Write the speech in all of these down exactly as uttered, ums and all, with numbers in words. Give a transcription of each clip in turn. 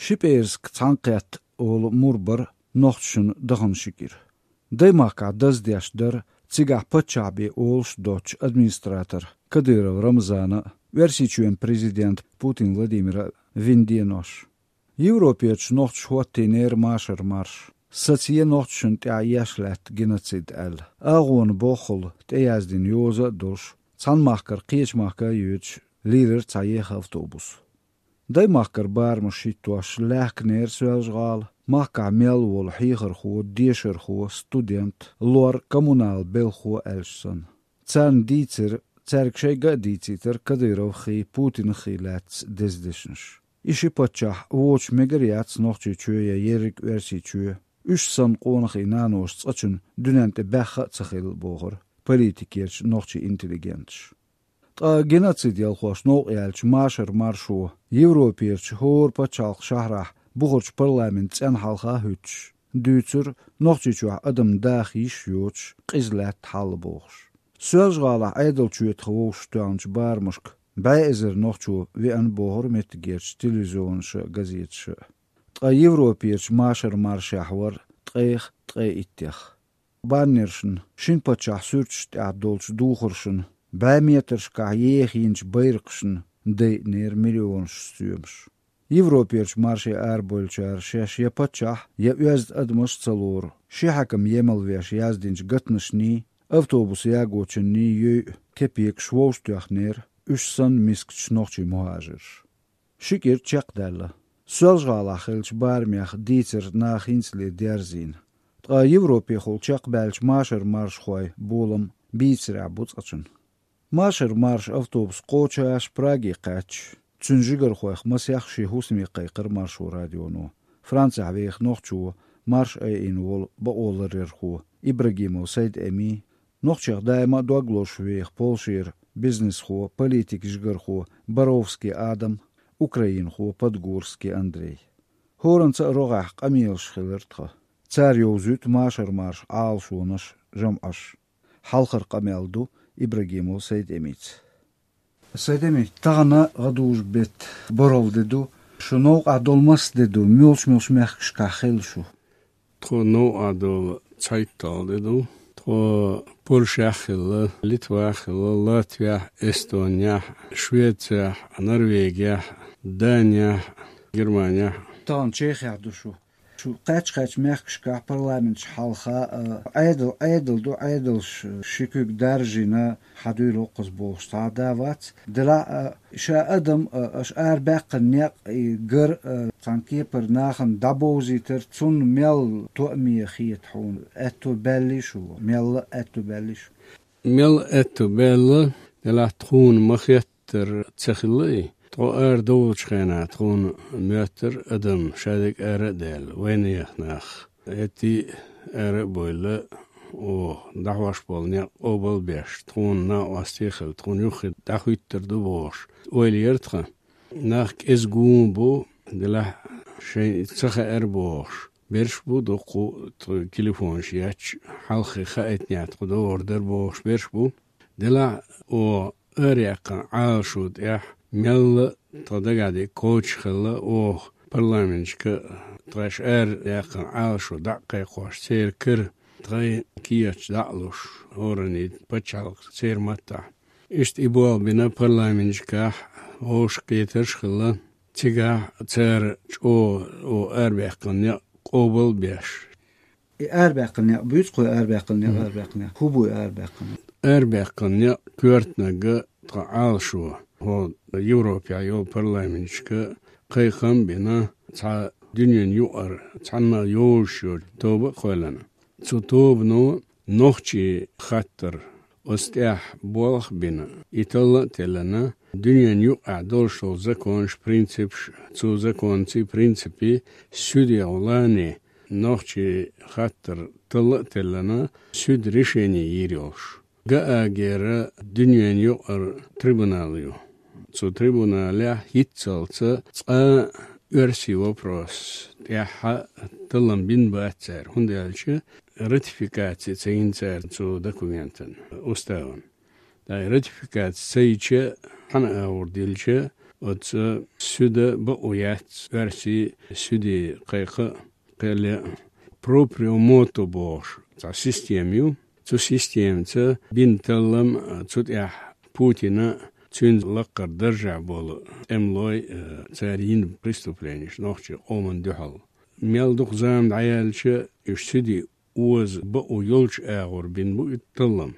Ши пӀераска цхьаьнакхетта олу мур бара нохчашна дахана ши кӀира. Даймахкахь даздеш дара цигахь паччахь бен олуш доцучу администратор Кадыров Рамзана а, Оьрсийчоьнан президента Путин Владимира а вина денош. Европерчу нохчаша хӀоттийнера машар-марш, сацае нохчашна тӀехь еш лаьтта геноцид аьлла. АгӀона боххула тӀеяздина йоза а долуш, цхьана махкара кхечу махка а йоьдуш, лийрира цхьа еха автобус. Даймахкара барамаш хӀиттош лаьхкинера Соьлжа-ГӀала, махкахь мел волу хьехархо, дешархо, студент, лор, коммунал белхахо аьлча санна. Царна дийцира, цаьрга шайга а дийцийтира Кадыровхий, Путинахий лаьцна деза дешнаш. И ши паччахь вочу мегар яц Нохчийчоь я ерриг Оьрсийчоь. Уьш санна къонахий наноша цкъачунна дуьнен тӀе баьхха а ца хилла, бохура политикерчу нохчийн интеллигенташа. Ткъа геноцид ялхош новкъа яьллачу машар-маршо Европерчу хӀора пачхьалкхан шахьарахь бухарчу парламентан цӀенна хьалха а хӀуьттуш, дуьйцура Нохчийчохь адам даха йиш йоцуш, къиза лаьтта хьал бохуш. Соьлжа-ГӀалахь Ӏедалчоьтах вовшах тоьхначу барамашка бӀе эзар нохчо веана, бохура меттигерчу телевизионаша а, газеташа а. Ткъа Европерчу машар-маршехь вара ткъех, ткъе иттех. Баннершна, шина паччахьан суьрташ тӀехь долчу духаршна, бӀе метрашкахь еха йинчу байракхашна дайинера миллионаш соьмаш. Европерчу марше арабевллачара шаьш я паччахь, я оьзда адамаш а ца лору, ши хьаькам емал веш яздинчу гатанашний, автобус ягочунний йойу кепекаш вовшахтоьхнера уьш санна мискачу нохчийн мухӀажирша. Ши кӀира чекхдаьлла. Соьлжа-ГӀалахь хиллачу барамех дийцар наха хӀинцале дерзийна. Ткъа Европехула чекхбаьллачу машар-маршхойн болам бийцарехь бу цкъачунна. Машар-марш автобус кхочуш Праге кхаьчча, цуьнан жигархойх масех шен хӀусаме кхайкхира Маршо радионо Францехь веха нохчо, марш айина волу бакъоларъярхо Ибрагимов Сайд-Эми, нохчех даима а дог лозуш веха Польшера бизнесхо, политикан жигархо Боровский Адам, украинхо Подгорский Андрей. ХӀоранца а рогӀехь къамелаш хилира тхан. Цара йовзуьйту машар-маршан Ӏалашонаш, жамӀаш. Хьалхара къамел ду Ибрагимов Сайд-Эмица. Сайд-Эми, тахана гӀадужу беттан бархӀалгӀа де ду. Шу новкъахь долу маса де ду, муьлш-муьлш мехкашкахь хилла шу? Тхо новкъахь долу цхьайтталгӀа де ду. Тхо Польшехь а хилла, Литвахь а хилла, Латвехь а, Эстонехь а, Швецехь а, Норвегехь а, Данехь а, Германехь а. Тахана Чехехь ду шу. Шу кхаьчча-кхаьчча мехкашкахь парламенташ хьалха, а, Ӏедал, Ӏедал ду, Ӏедалш ши куьг даржийна, хьан дуьйла оккхуза бохуш цхьа а да вац. Делахь а, ша адам, а, аша арабаьккхина некъ, и гар, а, цхьана кепара нахана дӀабовзийтар, цунна мел тоъаме хета хьуна, аьтто баьллий шу, мелла а аьтто баьллий шу? Мел аьтто баьлла, делахь тхуна ма хеттара ца хилла и. Тхо арадовлучу хенахь тхуна моьттура адам шадерг ара а даьлла, вайнех нах. Эттий ара а бовла, оха дӀахьош болу некъ къобал а беш, тхуна накъостий а хилла, тхуна юххе дӀахӀуьттур ду бохуш, ойла яра тхан. Нах кӀезиг гума бу, делахь шайн ца хаьара бохуш. Берш бу дуккха, тхо телефонаш етташ, хьалххе хаийтинехь тхо догӀур дара бохуш берш бу. Делахь оха араяьккхина Ӏалашо тӀехь мелла а тхан дагахь дерг кхочуш хилла, оха парламенташка а, тхаьш араяьккхина Ӏалашо дӀа а кхайкхош, церан кара тхайн кехаташ дӀа а луш, хӀораннийн пачхьалкх церан маттахь. Иштта и болх бина парламенташкахь вовшахкхетарш а хилла, цигахь цара чӀогӀа оха арабаьккхина некъ къобал а беш. И арабаьккхина некъ буьйцу кхо, арабаьккхина некъ, мгм, арабаьккхина некъ. ХӀун бу и арабаьккхина некъ? Арабаьккхина некъ коьртаниг а тхан Ӏалашо, хӀо Европехь йолу парламенташка кхайкхам а бина, цхьа дуьненан юкъара цхьанна йолуш йолу тоба а кхоьллина. Цу тобано нохчийн хаттар оцу тӀехь болх а бина, и талла а теллина, дуьненан юкъахь долуш долу законаш, принципаш, цу законций, принципий суьдехула нохчийн хаттар талла а теллина, суьда решение йийр йолуш. Гаагера дуьненан юкъара трибунал ю. Цу трибуналехь хӀинццалц цкъа а оьрсийн вопрос тӀехь таллам бина бац цара, хӀунда аьлча ратификаци ца йина цара цу документан, уставан. Ткъа и ратификаци ца йича, хьан агӀор дилча, Оцу суьда бакъо яц, оьрсийн суьде кхайкха а, кхел а. Проприо мото бохуш цхьа система ю. Цу системаца бина таллам, цу тӀехь Путина, цуьнца лаккхара даржехь болу тӀемалой, э, цара йина преступленеш нохчийн къоман дуьхьал. Мел дукха зама дӀаяьлча, уьш суьде оза бакъо йолчу агӀор бина бу и таллам.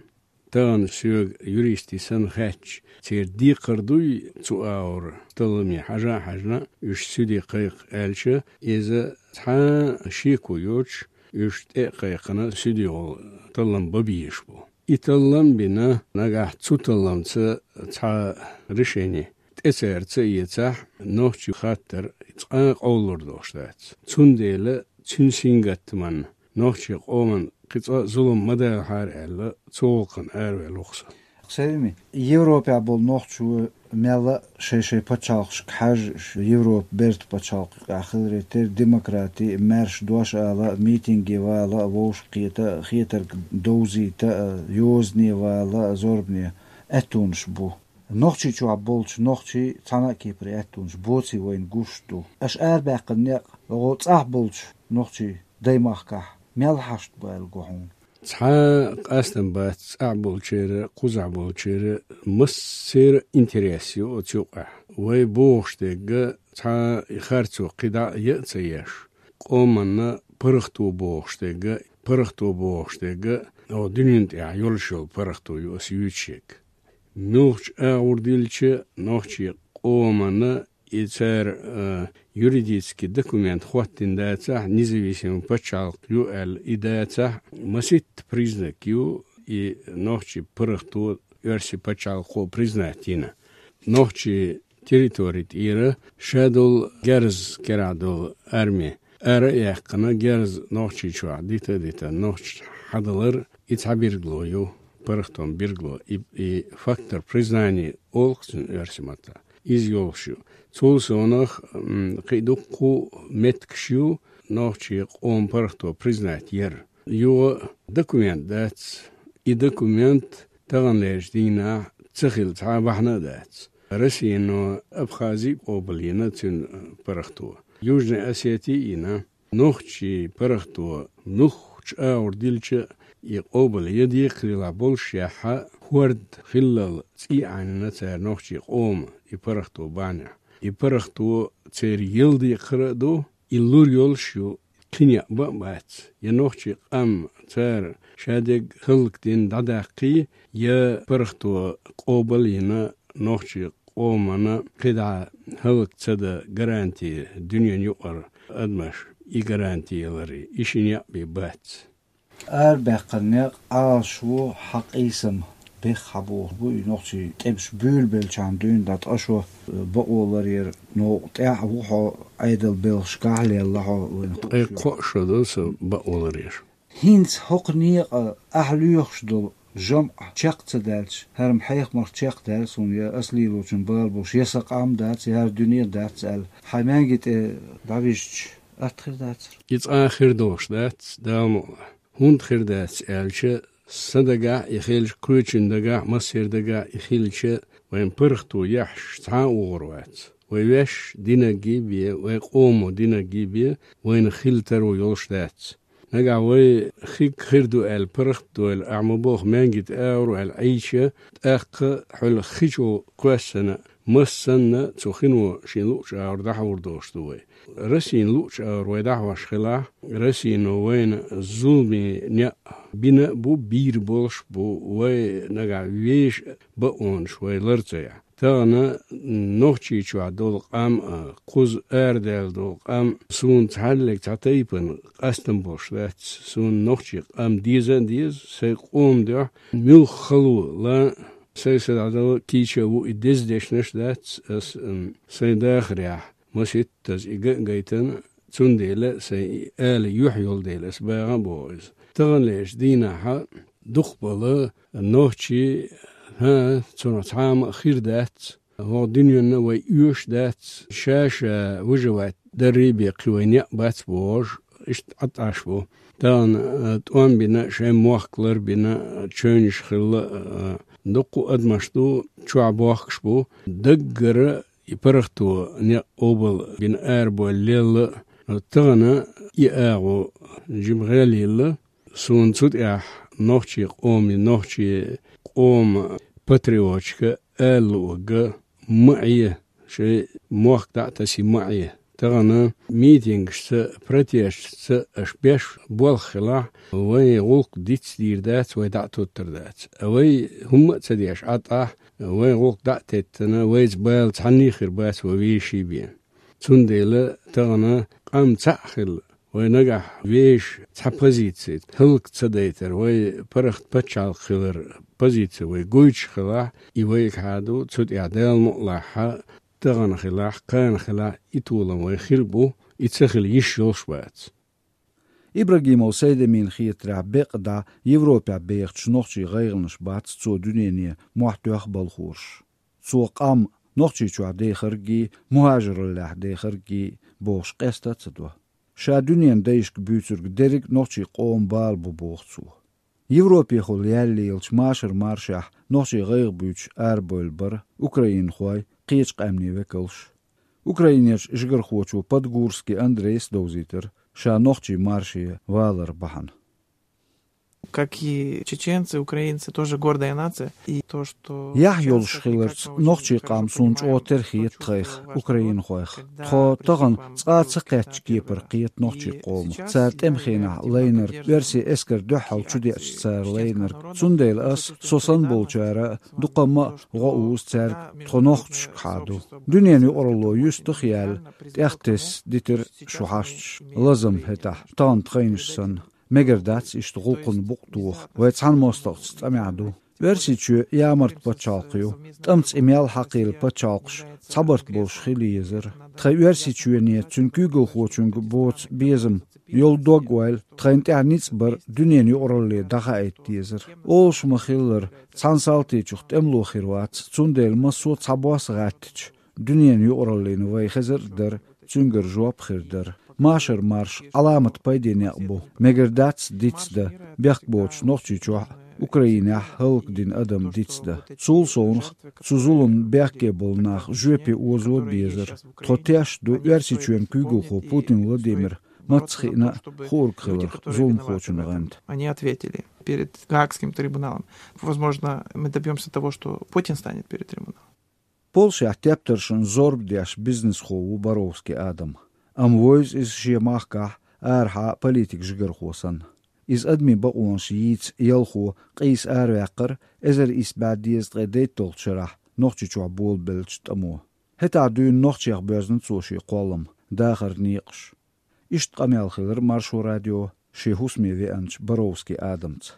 Тахана соьга юристийн санна хаьттича, церан декхар дуй цу агӀор талламе хьажа а хьаьжна, уьш суьде кхайкха аьлча, иза цхьа а шеко йоцуш, уьш тӀе а кхайкхина, суьде гӀо таллам бан безаш бу. И таллам а бина, нагахь цу талламца цхьа решени тӀе цара ца эцахь, нохчийн хаттар цкъа а къовлалур долуш дац. Цундела цуьнан сингаттаман нохчийн къоман кхин цкъа а зулам ма далахьара аьлла, цу гӀуллакхана араваьлла ву-кх со. Севми, Европехь болу нохчо мелла а шай-шай пачхьалкхашка хьаьжжа, Европа бертан пачхьалкх юкъахь хиларе терра демократи, маьрша дош ала, митинге вала, вовшахкхета, хетарг довзийта, йозане вала, зорбане аьттонаш бу. Нохчийчохь болчу нохчийн цхьана а кепара аьттонаш боций вайна гуш ду. Аша арабаьккхина некъ гӀо цӀахь болчу нохчийн даймахкахь мел хьашт бу аьлла го хьуна? Цхьа а къастам бац цӀахь болчеран, кхузахь болчеран, массеран интерес ю оцу юкъахь. Вай бохуш дерг цхьа а и харцо кхин дӀа а яа ца еш, къоманна паргӀато бохуш дерг, паргӀато бохуш дерг, о, дуьнен тӀехь йолуш йолу паргӀато ю аса юьйцуш ерг. Муьлххачу агӀор дилча, нохчийн къоманна и цара, а, юридически документ хӀоттийна дацахь, независимый пачхьалкх ю аьлла и дацахь, маситта признак ю и нохчийн паргӀато оьрсийн пачхьалкхо признать йина. Нохчийн территори тӀера ша долу герз, керахь долу арми ара а яьккхина, герз Нохчийчохь дита а дита, нохчаша хьадалар, и цхьа билгало ю, паргӀатан билгало, и, и фактор признания олу-кх цуьнан оьрсийн маттахь. Иза йолуш ю. Цул совнах, м, кхин дуккха а меттигаш ю нохчийн къоман паргӀато признать яр. Юха документ дац. И документ таханлерчу дийнахь ца хилла цхьа а бахьана а дац. Россино Абхази а къобалйина цуьнан паргӀато. Южная Осетия а йина. Нохчийн паргӀато муьлххачу агӀор дилча, и къобал я декхарийлахь болуш яхьа, хӀорд хиллал цӀий Ӏанийна цара нохчийн къоман и паргӀато бахьанехь. И паргӀато церан яла декхар а ду, и лур йолуш ю, кхин некъ бан а бац. Я нохчийн къам цара шадерг хӀаллакдина дӀадаккхий, я паргӀато къобал а йина, нохчийн къоманна кхидӀа хӀаллак ца дан гаранти дуьненан юкъара адамаш и гаранти яларе, и ши некъ бен бац. Арабаьккхина некъ Ӏалашо хьан къийсам бех хьан боху бу и нохчийн тӀемаш буьйлабеллачхьана дуьйна дӀа ткъа шо бакъо ларъяр новкъа тӀехь а ву хьо, Ӏедал белхашкахь а лелла хьо вайна. Ткъе кхоъ шо ду со бакъо ларъяр. ХӀинца хӀокху некъа ахь лоьхуш долу жамӀ чекх ца даьлча, хӀара-м хьехамах чекхдаьлла суна, я ас лелочун бала болуш, я сан къам дац, я хӀара дуьне дац аьлла, хьайн маьнги тӀе дӀавижча, атта хир дацара? И цкъа а хир долуш дац, Дала мукъ лахь. ХӀунда хир дац аьлча, сан дагахь и хилча, кхечун дагахь, массеран дагахь и хилча, вайн паргӀато яхьаш цхьа а вогӀур вац. Вай ваьш динаргий бен, вай къомо динаргий бен, вайна хила таро йолуш дац. Нагахь вай хиг хир ду аьлла паргӀат а дойла, ахь ма боху маьнги тӀе агӀор аьлла Ӏийча, тӀаккха хьуьлла хи чу кхоьссина, массанна цу хино шен луъучу агӀор дӀахьур долуш ду вай. Россин луъучу агӀор вай дӀахьош хилахь, Россино вайна зуламе некъ бина а бу, бийр болуш а бу, вай нагахь вешан бакъонаш вай лар ца яхь. Тахана Нохчийчохь долу къам а, кхуза арадаьлла долу къам, суна цхьаьллиг цхьа тайпана къастам болуш дац, суна нохчийн къам деза а деза, сайн къоман дуьхьа муьлхха хало лан а, сайн са дӀадала кийча а ву и деза дешнаш а дац, ас, м, сайн дахарехь маситтаза и ган а гайтина, цундела сайн и ала юьхь йолу дела ас багӀа а боху иза. Таханлерчу дийнахьа дукхахбала нохчий, хӀа, цунах цхьа а ма хир дац, хӀокху дуьненна вай оьшуш дац, ша-ша выживать даррий бен кхин вайн некъ бац бохуш, иштта Ӏа тӀаш бу. Тахана, а, тӀом бина, шайн мохк лар бина, чевнаш хилла, а, дуккха а адамаш ду, чохь бохкуш бу. Даггара и паргӀато некъ къобал бина арабоалла лелла, тахана и агӀо жимгӀа лелла, суна цу тӀехь нохчий къоман, нохчий къоман патриоташка ала луург ма Ӏе, шоай мохк дӀа а тасий ма Ӏе. Тахана митингашца, протесташца аша беш болх хилахь, вайн гӀуллакх диц дийр дац, вай дӀа а тоттар дац. А вай хӀумма а ца деш Ӏа тӀехь, вайн гӀуллакх дӀа а теттина, вайца бала цхьанне а хир бац вай веший бен. Цундела тахана къам цхьаъ хилла, вай нагахь вешан цхьа позици хӀаллак ца дайтар, вай паргӀат пачхьалкх хилар позици вай гойтуш хилахь, и вайгахьа ду, цу тӀехь Дала мукъ лахь, тахана хилахь, кхана хилахь, и толам вай хир бу, и ца хила йиш йолуш бац. Ибрагимов Сайдамина хетарехь, бекъа дӀа Европехь бехачу нохчийн гӀайгӀанаш бац цо дуьнене мохь тоьхна балхораш. Цо къам Нохчийчохь дехарггий, мухӀажараллехь дехарггий бохуш къаста а ца до. Ша дуьненан дайшка буьйцург дерриг а нохчийн къоман бала бу, боху цо. Европехула яьлла лелачу машар-маршехь нохчийн гӀайгӀа буьйцуш арабевлла бара украинхой, кхечу къаьмнийн векалш. Украинерчу жигархочо Подгурский Андрейс довзийтира ша нохчийн марше валар бахьана. Как и чеченцы, украинцы тоже гордая нация. И то, что Яхь йолуш хиларца, нохчийн къам суна чӀогӀа тера хета тхайх, украинхойх. Тхо тахана цкъа а ца кхеттачу кепара кхета нохчийн къомах, цара тӀеман хенахь лайнарг, оьрсийн эскар дуьхьал чудеъча цара лайнарг. Цундела ас, со санна болчара а, дукха ма а гӀо узу цаьрга тхо нохчашкахьа ду. Дуьненан юкъаралло юьстах а яьлла, тӀехтесса дитира шу хьашташ, лазам хӀетахь, тахана тхайнаш санна. Мегар дац иштта гӀуллакхна букъ тоха, вай цхьана мостагӀчу цӀа мегар ду. Оьрсийчоь ямарта пачхьалкх ю, тӀамца и мел хьакхийла пачхьалкхаш цхьабарт болуш хила езара. Тхайн Оьрсийчоьне, цуьнан куьйгалхочуьнга боцу безам йолу дог-ойла тхайна тӀехь ницкъ бар дуьненан юкъаралле дӀахаийта дезара. Олуш ма-хиллара, цхьана салтичух тӀемало хир вац, цундела массо а цхьабосса гӀаьттича, дуьненан юкъараллина вай хезар а дара, цуьнгара жоп а хир дара. Машар-марш Ӏаламат пайде некъ бу, мегар дац дицдан, бехк боцуш Нохчийчохь а, Украинехь а хӀаллакдина адам дицдан. Цул совнаха, цу зуламна бехке болу нах жоьпе озо а безара. Тхо тешна ду Оьрсийчоьнан куьйгалхо Путин Владимир маца хиъна а хуург хиларх зуламхочун гӀанта. Они ответили перед Гаагским трибуналом. Возможно, мы добьёмся того, что Путин станет перед трибуналом. Польшехь тептаршна зорба деш бизнесхо ву Боровский Адам. Амма вевза иза шен махкахь арахьа политик жигархо санна. Иза адамийн бакъонаш йийца ялхо къийса араваьккхира эзар исс бӀе дезткъе дейтталгӀачу шарахь Нохчийчохь болабеллачу тӀамо. ХӀетахь дуьйна нохчех боьзна цо шен кхоллам, дахаран некъаш. Иштта къамел хилира Маршо радион шен хӀусаме веанчу Боровский Адамца.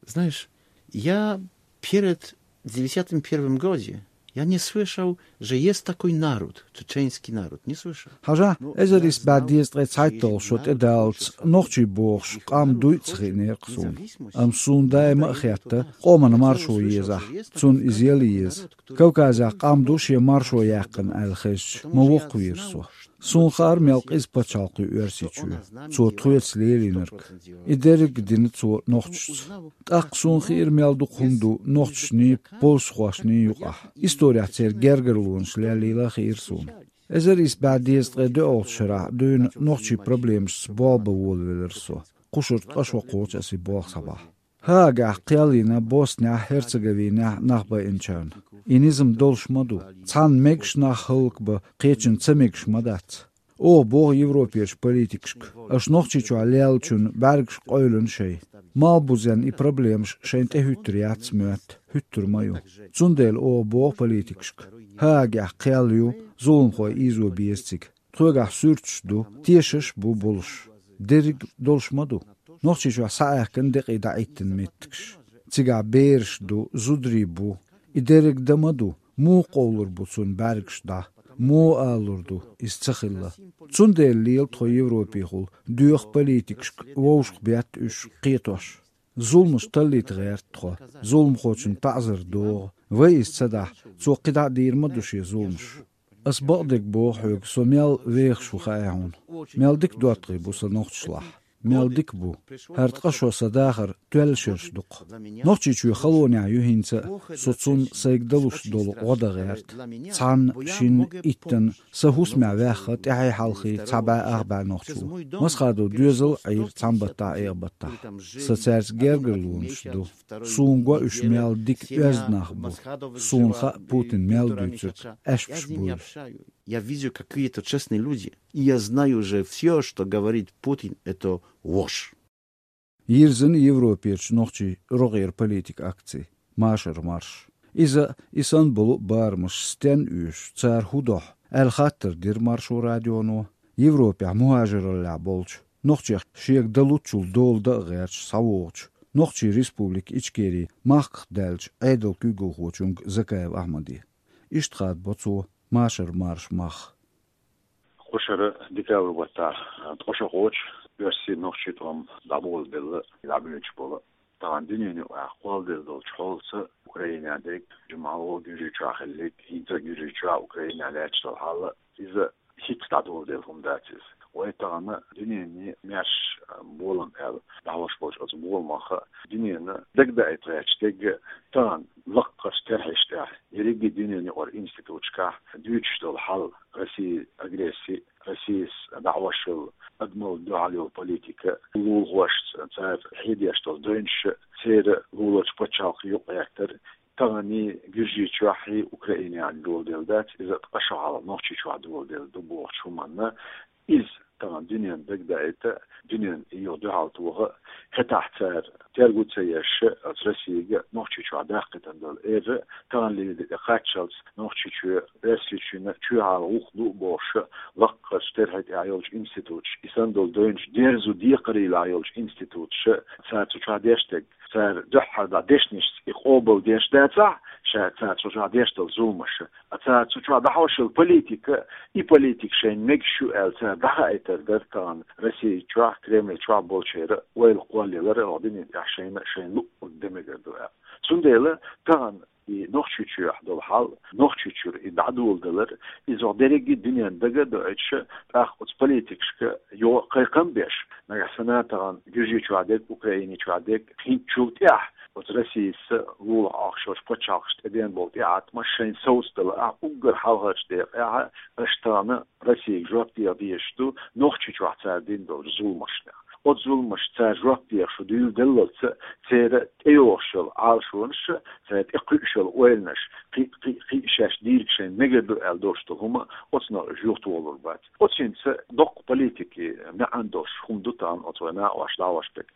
Знаешь, я перед девятьдесят первым году я не слышал, же есть такой народ, чеченский народ. Не слышал. Хьажа, эзар исс бӀе дезткъе цхьайтталгӀа шо тӀедаллалц нохчий бохуш къам дуй а ца хиънера-кх суна. Амма суна даима а хетта, къоман маршо езахь, цунна иза яла еза. Кавказехь къам ду шен маршо яьккхина аьлла хезча, ма воккхавера со. Суна хаьара мел къиза пачхьалкх ю Оьрсийчоь, цо тхоьца лелийнарг. И дерриг а дина цо нохчашца. ТӀаккха суна хиира мел дукха хӀума ду нохчашний, польшахошний юкъахь. Исторехь церан гергарлонаш лелийла а хиира суна. Эзар исс бӀе дезткъе доьалгӀачу шарахь дуьйна нохчийн проблемашца болх бан волавелира со. Кхушара ткъа шо кхочу аса и болх схьабахь. Гаагехь кхел йина Боснехь, Херцеговинехь нах байинчарна. И низам долуш ма ду. Цхьана мегаш нах хӀаллакбан, кхечунна ца мегаш ма дац. Оха боху европерчу политикашка: аша Нохчийчохь леллачунна бӀаьргаш къевлина шайн. Малхбузенна и проблемаш шайна тӀехӀуьттур яц моьтту, хӀуьттур ма ю. Цундела оха боху политикашка: Гаагехь кхел ю, зуламхой ийзо беза цига. Тхоьгахь суьрташ ду, тешаш а бу болуш. Дерриг а долуш ма ду. Нохчийчохь схьааьхкина декъий дӀаӀиттина меттигаш. Цигахь бераш ду, зударий бу. И дерриг дан ма ду, муха къовлур бу цунна бӀаьргаш дӀа? Муха алалур ду, иза ца хилла? Цундела лела тхо европехула, доьху политикашка вовшахбетта уьш кхетош. Зуламаш таллийта гӀерта тхо, зуламхочунна таӀзар догӀу. Вай иза ца дахь, цо кхидӀа а дийр ма ду шен зуламаш. Ас бакъдерг боху хьоьга, со мел вехаш ву хаьа хьуна. Мел дика доттагӀий бу сан нохчашлахь. мел дика бу. ХӀара ткъа шо сан дахар тоьлла шераш ду-кх. Нохчийчоь халонехь ю хӀинца а, со цунна сайга далуш долу гӀо дан гӀерта. Цхьанна, шинна, иттанна, сан хӀусамехь ваьхна тӀаьхьий-хьалхий цхьа бӀе-ах бӀе нохчо. Масхадов доьзал а Ӏийра цхьана баттахь, эха баттахь. Сан цаьрца гергарлонаш ду. Суна го уьш мел дика, оьзда нах бу. Суна хаьа Путин мел дуьйцург аьшпаш буйла. Я вижу, какие это честные люди. И я знаю уже всё, что говорит Путин, это ложь. Йирзина Европерчу нохчийн рогӀера политикан акци «Машар-марш». Иза а, и санна болу а барамаш стенна оьшу, цара хӀун дохьу аьлла хаттар дира Маршо радионо Европехь мухӀажараллехь болчу, нохчех шега дан луччул дола дан а гӀерташ схьавогӀучу Нохчийн Республика Ичкерин махках даьллачу Ӏедалан куьйгалхочуьнга Закаев Ахьмаде. Иштта хадабо цо «Машар-марш» мах. Кху шарахь декабрь баттахь ткъа шо кхочу оьрсийн, нохчийн тӀом дӀаболабелла, дӀабоьдуш болу. Тахана дуьненан юкъахь кхолладелла долчу хьолца Украинехь дерг, жимма а Гуьржийчохь хилларг, хӀинца Гуьржийчохь, Украинехь лаьтташ долу хьал, иза хӀинцца дӀадоладелла хӀума дац иза. Вай тахана дуьненан маьрша болам аьлла дӀахьош болчу оцу боламах дуьненна дагадаийта гӀерташ дерг а, тахана лаккхарчу терхьашна тӀехь, ерриге дуьненан юкъара институташкахь дуьйцуш долу хьал, Россин агресси, Россис дӀахьош йолу адамалла дуьхьал йолу политика, лулахошца цара хьедеш долу девнаш, церан луларчу пачхьалкхан юкъагӀертар, тахана Гуьржийчохь а, Украинехь а доладелла дац, иза ткъа шо хьалха Нохчийчохь доладелла ду бохучу хӀуманна. Иза тахана дуьненна дагадаийта, дуьненна и юха дуьхьал тоха, хӀетахь цара терго ца еш, оцу Россига Нохчийчохь даккхийтина долу эр, тахана лелийна тӀекхаччалц Нохчийчоь, Оьрсийчоьнан чоьхьара гӀуллакх ду а бохуш, лаккхарчу терхьий тӀехь йолчу институташ, и санна долу девнаш дерзо декхарийлахь йолчу институташ, цара цу чохь деш дерг, цара дуьххьара дӀа дешнашца и къобалдеш дацахь, ша цара цу чохь деш долу зуламаш, а цара цу чохь дӀахьош йолу политика, и политика шайна мегаш ю аьлла цара дӀахаийтар дара тахана Российчохь, Кремльчохь болчеран ойла кхоллаялар, оха дуьнен тӀехь шайна, шайна луъург дан мегар ду аьлла. Цундела тахана и Нохчийчохь долу хьал, Нохчийчуьра и дӀадоладалар, иза оха дерриге дуьненна дага а доуьйтуш, тӀаккха оцу политикашка йо кхайкхам а беш, нагахь санна тахана Гуьржийчохь дерг, Украиничохь дерг, хӀинцачул тӀаьхьа оцу Россица лулахь Ӏохкуш йолчу пачхьалкхашна тӀедеана болу тӀеӀаткъамаш шайна совцадала а, уггар хьалхарчу декъехь аша тахана Россига жоп деха дезаш ду Нохчийчохь цара дина долчу зуламашна. Оцу зуламашна цара жоп деха шу дуьйладеллалц, церан тӀейогӀуш йолу Ӏалашонаш, цара тӀекхуьуш йолу ойланаш, кхин, кхин, кхин шаьш дийриг шайна мегар ду аьлла долуш долу хӀума оцунах уьш юхатохалур бац. Оцу хӀинца доккха политикин маьӀна долуш хӀума ду тахана оцу вайн накъост дӀахьош дерг.